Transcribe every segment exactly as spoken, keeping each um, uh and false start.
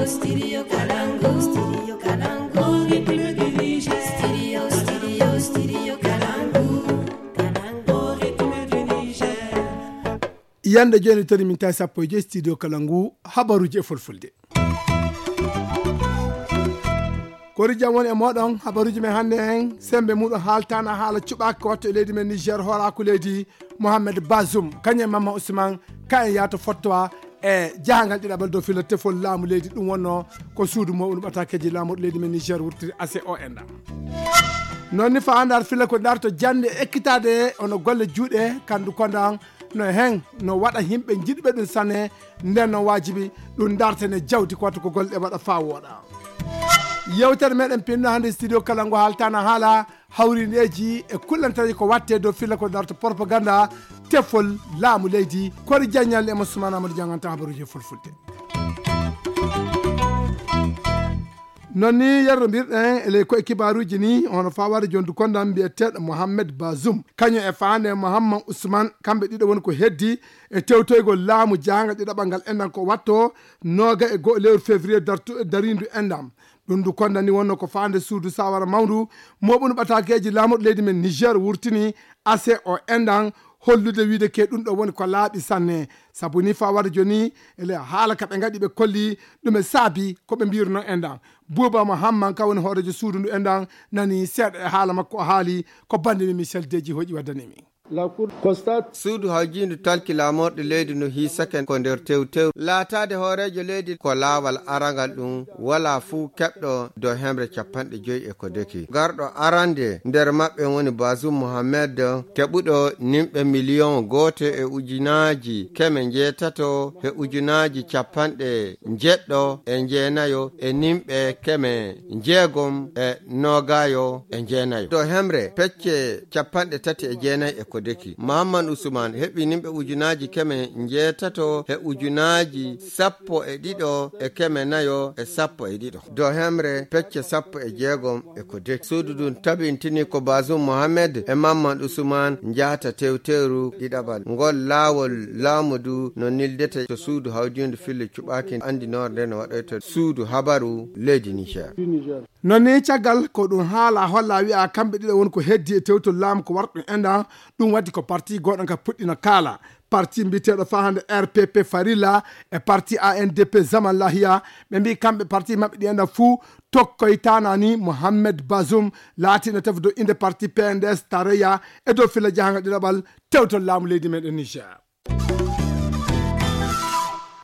Studio Kalangu, Studio Kalangu, Ritme du Niger. Studio, Studio, Studio Kalangu, Kalangu, Ritme du Niger. Yande jooni tori min tawi sappo e joyi studio kala ngu habaruuji e fulfulde. Kori jam woni e moɗon, habaruuji men hannde en sembe muɗum haaltana haala cuɓaaki ko watto e leydi men Niger, hooraaku leydi Mohamed Bazoum, kañum e Mamma Ousmane, ka en yaato fottowa e jahangal ɗiɗaɓal dow fila tefol laamu leydi. Ɗum wonno ko suudu mo ɗum ɓatakeji laamu leydi men Niger wurtiri A C O en ɗam. Noon ni fa andar fila ko darto jande ekkitade ono golle juuɗe kandu kondan no hen no waɗa yimɓe jiɗɓe ɗum sanne. Nden noon waajibi ɗum dartene jawdi ko watta ko golle ɗe waɗa faa wooɗa. Yewtere meɗen pinno hannde studio kala ngo haaltana haala hawrindeeji e kullanteeji ko watte dow filla ko darto propaganda tefol laamu leydi. Kori jaññal e mo Sumana Amadou janganta habaruuji e fulfulde. Noon ni yerro mbirɗen e ley koye kibaaruuji ni, hono fawaade jondu kondan mbiyeteeɗo Mohamed Bazoum, kañum e faande Mohammad Ousmane, kamɓe ɗiɗo woni ko heddi e tewtoygol laamu jaanga ɗiɗaɓal ngal enɗan ko watto nooga e go'o lewru février dartu- dariindu enɗan. Ɗum ndu kondan ni wonno ko faande suudu sawara mawndu moɓunu ɓatakeeji laamuɗo leydi men Niger wurtini A C O enɗan, hollude wiide ke ɗum ɗo woni ko laaɓi sanne. Sabu ni fawaade joni ele haala ka ɓe ngaɗi ɓe kolli ɗum e saabi ko ɓe mbirno enɗan. Buuba Mohamman ka woni hoorejo suudu ndu enɗan nani seeɗa e haala makko o haali ko bande mi Michel Deji hoƴi waddani mi. La Cour constate. Suudu hawjiindu talki laamorɗe leydi no hiisake ko nder tewtew. Laataade hooreejo leydi ko laawal arangal ɗum, wala fuu keɓɗo dow hemre capanɗe joyi e ko deki. Garɗo arande nder maɓɓe woni Bazoum Mohamed, keɓuɗo nimɓe miliyon gooto e ujunaaji keme njeetato e ujunaaji capanɗe njeɗɗo e njeenayo e nimɓe keme njeegom e noogayo e njeenayo. Dow hemre pecce capanɗe tati e jeenayi e ko deki. Mahamman Usman heɓi nimɓe ujunaaji keme njeetato e ujunaaji sappo e ɗiɗo e keme nayo e sappo e ɗiɗo. Dow hemre pecce sappo e jeegom e ko deki. Suudu ndun tabintini ko Bazoum Mohamed e Mahamman Usman njahata tewteru ɗiɗaɓal. Ngol laawol laamu du no nildete to suudu hawjiindu filla cuɓaaki andinoore nde no waɗoyta suudu habaru leydi Niger. Noon ni caggal ko ɗum haala holla wi'a kamɓe ɗiɗo woni ko heddi e tewtol laamu ko warɗum enɗan, ɗum waɗi ko parti goɗɗo ka puɗɗino kaala. Parti mbiyeteeɗo fa hannde R P P Farilla e parti A N D P Zaman Lahiya, ɓe mbi kamɓe parti maɓɓe ɗi enɗan fuu tokkoytana ni Mohamed Bazoum laatiino tefdo inde parti P N D S Tareya e dow filla jahanga ɗiɗaɓal tewtol laamu leydi meɗen Niger.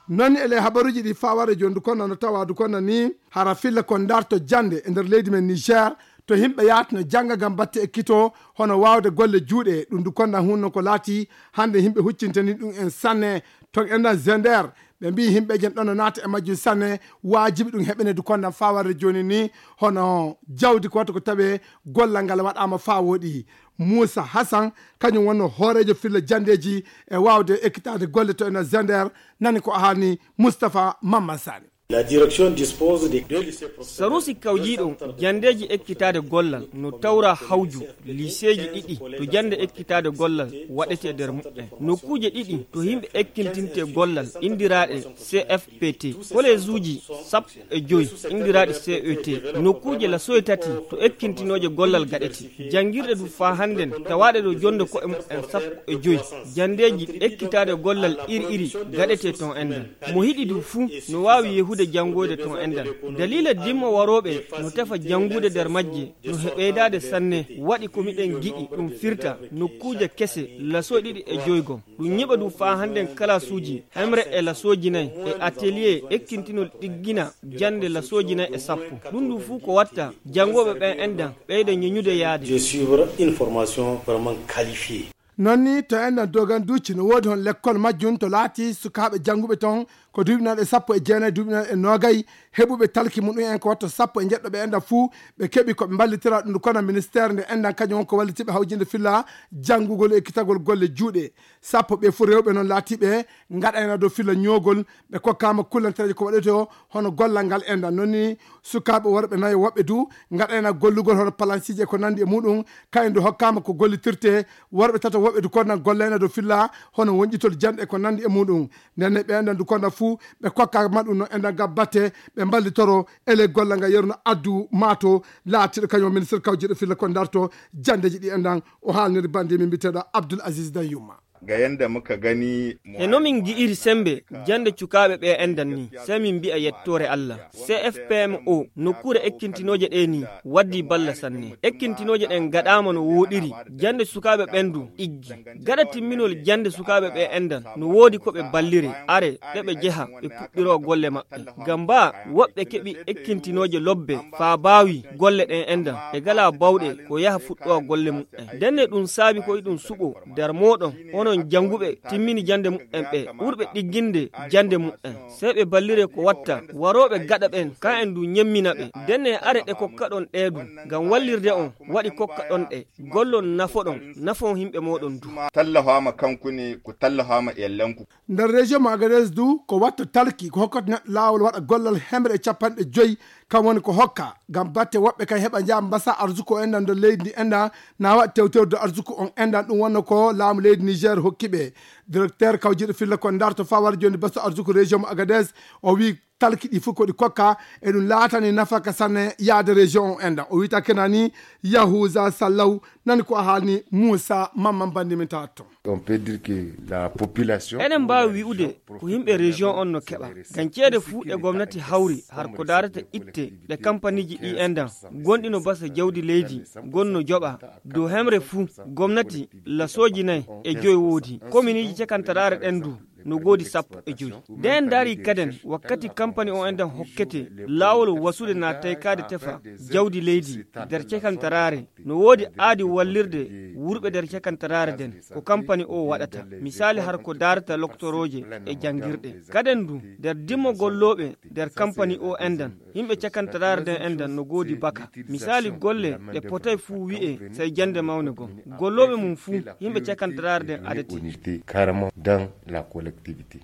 Noon e ley habaruuji ɗi fawaade jondu konda no tawa du konda ni hara filla ko darto jande e nder leydi men Niger to yimɓe yaatino jannga ngam batte e kito hono waawde golle juuɗe. Ɗum du konda hunno ko laati hannde yimɓe huccintani ɗum en sanne ton enɗan Zender. Ɓe mbi yimɓe jen ɗon no naata e majjum sanne, waajibi ɗum heɓene du konda fawaade jooni ni hono jawdi ko watta ko tawe gollal ngal waɗaama faa wooɗi. Muusa Hasan, kañum wonno hooreejo filla janndeeji e waawde ekkitaade golle to ena Zender, nani ko haalni Mustapha Mamman Sani. La direction dispose de deux lycées professionnels. Sarusi kawjiiɗo janndeeji ekkitaade gollal no tawra hawju liseeji ɗiɗi to jannde ekkitaade gollal waɗetee nder muɓɓen. Nokkuuje ɗiɗi to yimɓe ekkintinte gollal inndiraaɗe C F P T, koleesuuji sappo e joy inndiraaɗi C E T, nokkuuje lasoye tati to ekkintinooje gollal gaɗete. Janngirɗe du faa hannden tawaaɗe ɗo jonde ko'e mumen sappo e joy. Janndeeji ekkitaade gollal iri iri gaɗetee ton enɗan. Mo hiɗi du fuu no waawi yehude janngoyde ton enɗan. Daliila dimmo warooɓe no tefa janngude nder majje no he ɓeydaade sanne, waɗi ko miɗen giɗi ɗum firta nokkuuje kese lasoye ɗiɗi e joygom. Ɗum ñiɓa ɗum faa hannden kalaasuuji hemre e lasooji nayi e atelier ekkintinol ɗiggina jannde lasooji nayi e sappo. Ɗum ɗum fuu ko watta janngooɓe ɓen enɗan ɓeyda ñeñude yaade. De suivre une formation vraiment qualifiée. Noon ni to enɗan Dogan Duuci no woodi hon lekkol majjum to laati sukaaɓe jannguɓe ton ko duuɓi nayi e sappo e jeenayi, duuɓi nayi e noogay, heɓuɓe talki muɗum en ko watto sappo e njeɗɗo ɓe enɗan fuu ɓe keɓi ko ɓe mballitira ɗum kono ministeer nde enɗan kañum won ko wallitiɓe hawjinde filla janngugol e ekkitagol golle juuɗe. Sappo ɓe fuu rewɓe noon laatiɓe ngaɗayna dow filla ñoogol, ɓe kokkaama kullantereeje ko waɗetee o hono gollal ngal enɗan. Noon ni sukaaɓe worɓe nayo woɓɓe du ngaɗayna gollugol hono palansiiji e ko nanndi e muɗum, kayen du hokkaama ko gollitirtee, worɓe tato Woɓɓe du konnan golleyna do filla hono wonƴitol janɗe e ko nandi e muɗum. Nden ne ɓe enɗan du konnan fuu ɓe kokka maɗum no enɗan gabbate ɓe mballitoro ele golla nga yeruna addu maato laatiɗo kañum ministre kawjiɗo filla ko darto jandeji ɗi enɗan. O haalniri bandi min mbiteɗo Abdoul Aziz Dayuma. Ga yanda muka gani e no min gi'iri sembe jande cukaaɓe ɓe enɗan ni, sey min mbi'a yettoore Allah. C F P M O nokkuure ekkintinooje ɗe ni waddi balla sanne. Ekkintinooje ɗen gaɗaama no wooɗiri. Jande sukaaɓe ɓen du ɗiggi. Gaɗa timminol jande sukaaɓe ɓe enɗan no woodi ko ɓe ballire, are ɗe ɓe jeha ɓe puɗɗiro golle maɓɓe. Ngam baa woɓɓe keɓi ekkintinooje lobbe faa baawi golle ɗen enɗan ɓe galaa bawɗe ko yaha fuɗɗowa golle muɓɓen. Ndenne ɗum saabi ko iɗum suɓo nder mooɗon onon jannguɓe timmini jannde muɓɓen ɓe ɓurɓe ɗigginde jannde muɓɓen. Sey ɓe ballire ko watta warooɓe gaɗa ɓen, ka en du ñemmina ɓe. Ndenne are ɗe kokkaɗon ɗee du ngam wallirde on waɗi kokkaɗon ɗe. Gollon nafoɗon nafon yimɓe mooɗon du. Tallafaama kanku ne ko tallafaama e lanku. Nder région mo Agadez du ko watta talki ko hokkata neɗɗo laawol waɗa gollal hemre e capanɗe joyi. Kam woni ko hokka ngam batte woɓɓe kay heɓa njaha mbasa arsuko enɗan nder leydi ndi enɗan na waɗa tewtewde arsuko on enɗan ɗum wonno ko laamu leydi Niger hokki ɓe. Directeur kawjiɗo filla ko darto fawar joni basa arsuko région mo Agadez o wi talki ɗi fof ko ɗi kokka e ɗum laatani nafaka sanne yaade région on enɗan o wita kenani. Yahuza Sallaw nani ko a haalni Moussa Mamman Bandi min tawat toon. On peut dire que la population eɗen mbaawi wi'ude ko yimɓe région on no keɓa ngam ceede fuu ɗe gomnati hawri har ko daarata itte ɗe kampaniiji ɗi enɗan gonɗi no basa jawdi leydi gonno joɓa dow hemre fuu gomnati lasooji nayi e joyi woodi kominiiji cakantaraare ɗen du no goodi sappo e joyi. Nden daari kaden wakkati kampani o enɗan hokkete laawol wasude na taykaade tefa jawdi leydi nder cakantaraare no woodi aadi wallirde wurɓe nder cakantaraare nden ko kampani o waɗata misaali har ko daarata loktorooje e janngirɗe. Kaden du nder dimmo gollooɓe nder kampani o enɗan yimɓe cakantaraare nden enɗan no goodi baka misaali golle ɗe potay fuu wi'e sey jannde mawne gom gollooɓe mum fuu yimɓe cakantaraare nden adete. Carrément dans la collectivité.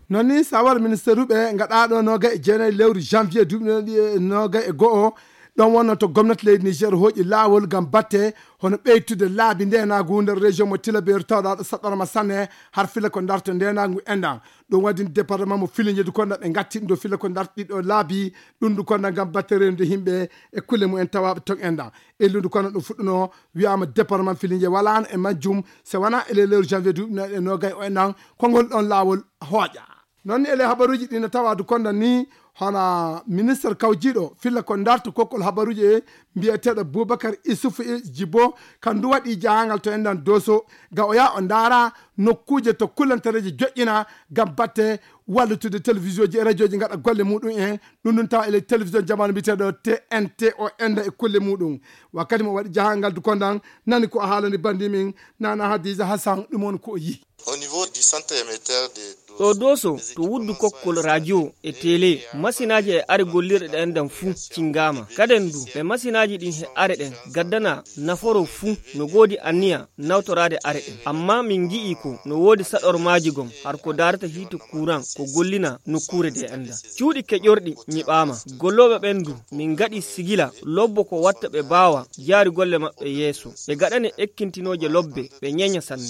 Non ni sawar ministeruɓe gaɗaɗo nogay e jeenayi lewru janvier duuɓi ɗiɗi e nogay e go'o ɗon wonno to gomnati leydi Niger hooƴi laawol ngam batte hono ɓeytude laabi ndenaagu nder région mo Tillabéri tawɗaaɗo saɗɗorma sanne har fila ko darto ndenaagu enɗan. Ɗum waɗi département mo Filinge du konda ɓe ngatti ɗum ɗo fila ko darto ɗiɗo laabi ɗum du konda ngam batte rewnude yimɓe e kulle mumen tawaaɓe ton enɗan. Elludu kono ɗum fuɗɗuno wiyaama département Filinge walaano e majjum so wonaa e lelewru janvier duuɓi nayi e nogay o enɗan konngol ɗon laawol hooƴa. Noon ni ele habaruuji ɗi no tawaadu konda ni hono ministre kawjiiɗo filla ko darto kokkol habaruuji e mbiyeteeɗo Boubacar Issoufou Djibo kan du waɗi jahangal to enɗan Doso ga o yaha o ndaara nokkuuje to kullantareeji joƴƴina ngam batte wallutude télévision ji e radio ji ngaɗa golle muɗum en. Ɗum ɗum tawa ele télévision jamanu mbiyeteeɗo T N T o enɗa e kulle muɗum. Wakkati mo waɗi jahangal du kondan nani ko a haalani bandi min nana Hadiza Hassan ɗum on ko o yihi. Au niveau du centre émetteur de ɗo Doso to wuddu kokkol radio e télé masinaaji e are gollirɗe ɗe enɗan fuu cingaama kaden du ɓe masinaaji ɗin he are ɗen gaddana naforo fuu no goodi anniya nawtoraade are ɗen amma min ngi'i ko no woodi saɗormaaji gom har ko daarata hiite kuuran ko gollina nokkuure de enɗan cuuɗi keƴorɗi nyiɓaama gollooɓe ɓen du min ngaɗi sigila lobbo ko watta ɓe baawa jaari golle maɓɓe yeeso ɓe gaɗane ekkintinooje lobbe ɓe ñeña sanne.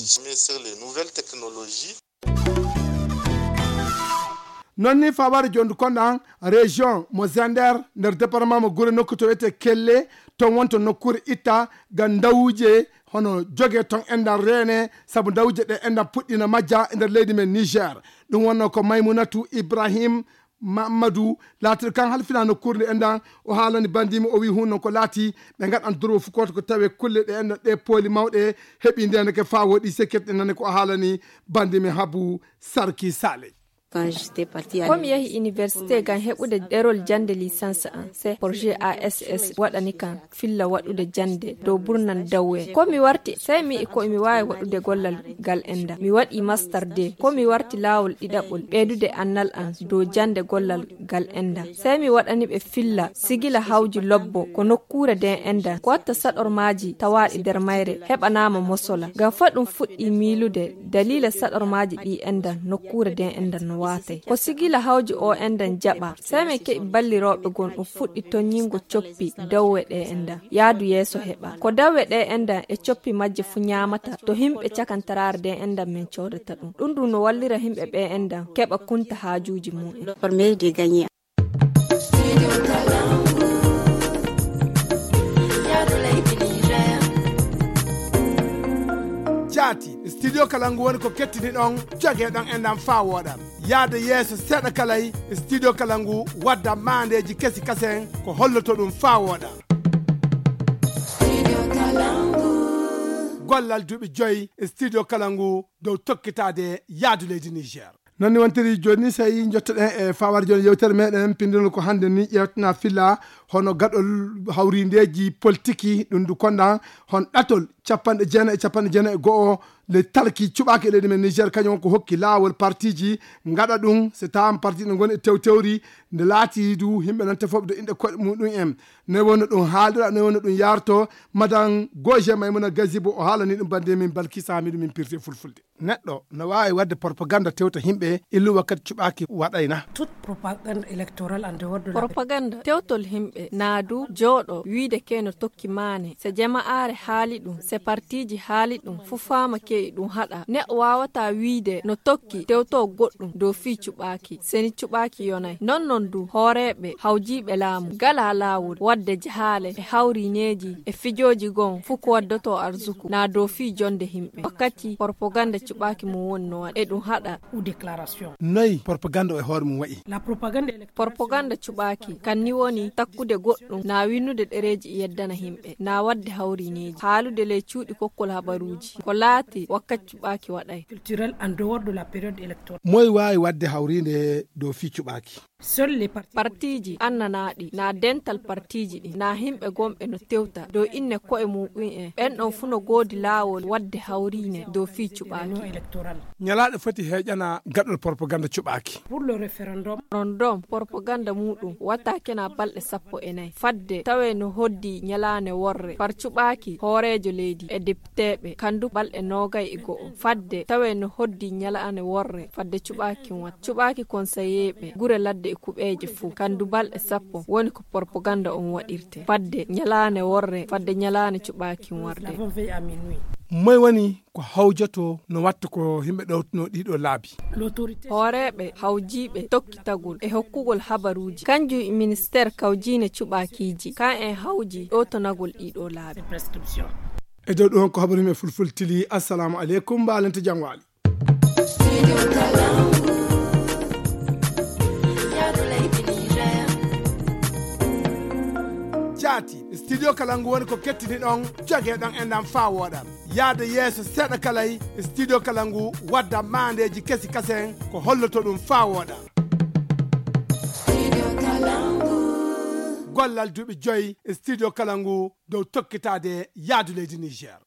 Noon ni fawaade jondu konɗan région mo Zender nder département mo Gure nokku to wiyetee Kelle toon wonto nokkuure itta ngam ndawuuje hono jogee toon enɗan reene sabu ndawuuje ɗe enɗan puɗɗiino majja e nder leydi men Niger. Ɗum wonnoo ko Maymunatu Ibrahim Mamadou laatiiɗo kan halfinaa nokkuure nde enɗan o haalani banndiimi o wiyi huunde noon ko laatii ɓe ngaɗan durwo fukooto ko tawee kulle ɗe enɗan ɗe pooli mawɗe heɓii ndeeneke faa wooɗi sécurité nane ko o haalani banndiimi Habu Sarki Sale. Ko mi yahi université ngam heɓude ɗerol jannde licence an, se projet A S S waɗani kan filla waɗude jannde dow burnal dawwe. Ko mi warti, sey mi yi'i ko mi waawi waɗude gollal ngal enda. Mi waɗi master deux. Ko mi warti laawol ɗiɗaɓol ɓeydude annal an dow jannde gollal ngal enda. Sey mi waɗani ɓe filla sigila hawji lobbo ko nokkuure den enda. Ko watta saɗormaaji tawaaɗi nder mayre heɓanaama mosola. Ngam fa ɗum fuɗɗi miilude daliila saɗormaaji ɗi enda nokkuure den enda no Waatay ko sigila hawju o endan jaɓa. Sey men keɓi ballirooɓe gon ɗum fuɗɗi tonñingo coppi dawwe ɗe endan yaadu yeeso heɓa ko dawwe ɗe endan e coppi majje fu ñaamata to himɓe cakantaraare de endan men coodata ɗum ɗum ɗum no wallira himɓe ɓe endan keɓa kunta haajuuji mum en. Jaati studio kala ngu woni ko kettini ɗon joge ɗon e ndam faa wooɗa. Yaade yeeso seeɗa kalay studio kala ngu wadda maandeeji kesi kasen ko holloto ɗum faa wooɗa. Gollal duuɓi joyi studio kala ngu dow tokkitaade yaadu leydi Niger. Noon ni wontiri jooni ni sey njottoɗen e fawaade jooni yewtere meɗen pindinol ko hannde ni ƴeewtana filla hono gaɗol hawrindeeji politiki ɗum ndu konda hon ɗatol capanɗe jeenayi e capanɗe jeenayi e go'o le talki cuɓaaki e leydi men Niger kañum ko hokki laawol partiji ngaɗa ɗum so taam parti ɗo ngoni e tewtewri nde laati du yimɓe nan tefooɓe to inɗe koɗe muɗum en ne wonno ɗum haaldira ne wonno ɗum yarto madan goje maymuna gazibo o haalani ɗum bande min balkisa miɗum min pirti e fulfulde. Neɗɗo no waawi waɗde propaganda tewta yimɓe illu wakkati cuɓaaki waɗayna. Toute propagande électorale en dehors de la propaganda tewtol yimɓe naadu jooɗo wiide ke no tokki maane se jama'aare haali ɗum se partiji haali ɗum fu faama ke'i ɗum haɗa neɗɗo waawata wiide no tokki tewto goɗɗum dow fii cuɓaaki seni cuɓaaki yonay non non du hooreeɓe hawjiiɓe laamu gala laawol waɗde jahaale e hawrineeji e fijooji gon fu ko waddoto arzuku na dow fii jonde yimɓe wakkati propaganda cuɓaaki mum woni no waɗa e ɗum haɗa. Ou déclaration. Noy propaganda o e hoore mum wa'i? La propaganda propaganda cuɓaaki kan ni woni takkude goɗɗum na winnude ɗereeji yeddana yimɓe na waɗde hawrineeji haalude ley cuuɗi kokkol habaruuji ko laati wakkati cuɓaaki waɗay. Culturel en dehors de la période électorale. Moy waawi waɗde hawriinde dow fii cuɓaaki? Partiji annanaaɗi na dental partiji ɗin na himɓe gonɓe no tewta dow inne ko'e muɓum en ɓen ɗon fu no goodi laawol waɗde hawriine dow fii cuɓaaki. Ñalaaɗe foti heeƴana gaɗol propaganda cuɓaaki. Pour le référendum. Rondom propaganda muɗum watta kena balɗe sappo e nayi fadde tawe no hoddi ñalaane worre par cuɓaaki hooreejo leydi e depiteeɓe kandu balɗe noogay e go'o fadde tawe no hoddi ñalaane worre fadde cuɓaakin watta cuɓaaki konsayeeɓe gure ladde e kuɓeeje fuu kandu balɗe sappo woni ko propaganda on waɗirte fadde ñalaane worre fadde ñalaane cuɓaakin warde. Moy woni ko hawjoto no watta ko yimɓe ɗowtuno ɗiɗo laabi? Hooreeɓe hawjiiɓe tokkitagol e hokkugol habaruuji kanjum e ministeer kawjiine cuɓaakiiji kan en hawji ɗowtanagol ɗiɗo laabi. E dow ɗum ko habaru men fulfulde tili assalamu aleykum mbaalante jam waali. Jaati studio kala ngu woni ko kettini ɗon joge ɗon e ndam faa wooɗa yaade yeeso seeɗa kalay studio kala ngu wadda maandeeji kesi kasen ko holloto ɗum faa wooɗa. Gollal duuɓi joyi studio kala ngu dow tokkitaade yaadu leydi Niger.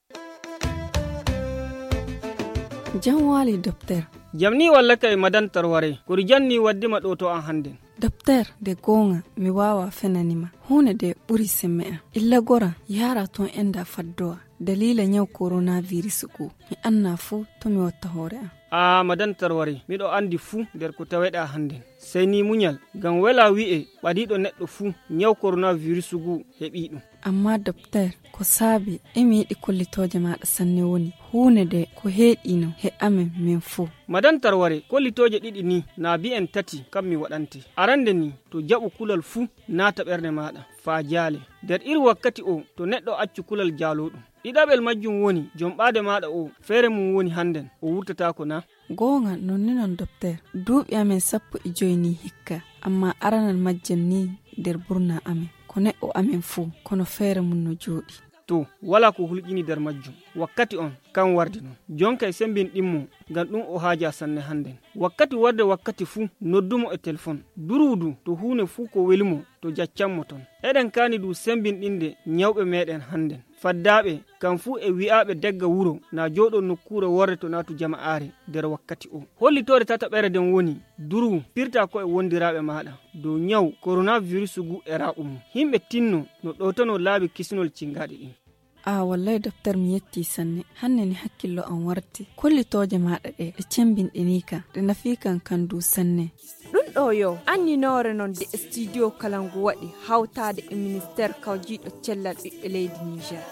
Jam waali dokter. Jam ni walla kay madan tarware kori janni waddima ɗo to an hannden. Dokter, nde goonga mi waawa fenanima huunde nde ɓuri semme am. Illa gora yahra toon enda faddowa daliila ñaw koronaviris ngu. Mi annaa fuu to mi watta hoore am. Aa madan tarware miɗo anndi fuu nder ko taweɗaa hannden. Sey ni muñal, ngam welaa wi'e ɓadiiɗo neɗɗo fuu ñaw koronaviris ngu heɓii ɗum. Ammaa dokter, ko saabi e mi yiɗi kollitooje maaɗa sanne woni huunde nde ko heeɗiino he amen men fuu. Madan Tarware, kollitooje ɗiɗi nii naa bi'en tati kam mi waɗante. Arannde nii, to jaɓu kulal fuu naata ɓernde maaɗa, faa jaale. Nder iri wakkati oo, to neɗɗo accu kulal jaalooɗum. Ɗiɗaɓel majjum woni jomɓaade maaɗa oo, feere mum woni hannden, o wurtataako naa? Goonga, noon ni noon, Dokteer. Duuɓi amen sappo e joy nii hikka, ammaa aranal majjal nii nder burnaa amen. Ko neɗɗo amen fuu, kono feere mum no jooɗii. Too, walaa ko hulƴinii nder majjum. Wakkati oon, kam wardi noon. Joonkay semmbinɗin mo, ngam ɗum o haajaa sanne hannden. Wakkati warde wakkati fuu, noddu mo e telfon. Durwu du, to huune fuu ko weli mo, to jaccan mo toon. Eɗen kaani du semmbinɗinde ñawɓe meeɗen hannden. Faddaaɓe, kam fuu e wi'aaɓe dagga wuro naa jooɗoo nokkuure worre to naatu jama'aare nder wakkati oo. Hollitoore tataɓere nden woni, durwu, pirtaa ko'e wondiraaɓe maaɗa dow ñaw koronavirusu ngu e raaɓu mum. Yimɓe tinno no ɗowtanoo laabi kisinol cingaaɗi ɗin. Ah, wallay, Doktor, mi yetti sanne. Hannde ni hakkillo am warti. Kollitooje maaɗa ɗe, ɗe cemmbinɗinii kan, ɗe nafii kan kan du sanne. Ɗum ɗo yo anninoore noon de studio kala ngu waɗi hawtaade e ministeer kawjiiɗo cellal ɓiɓɓe leydi Niger.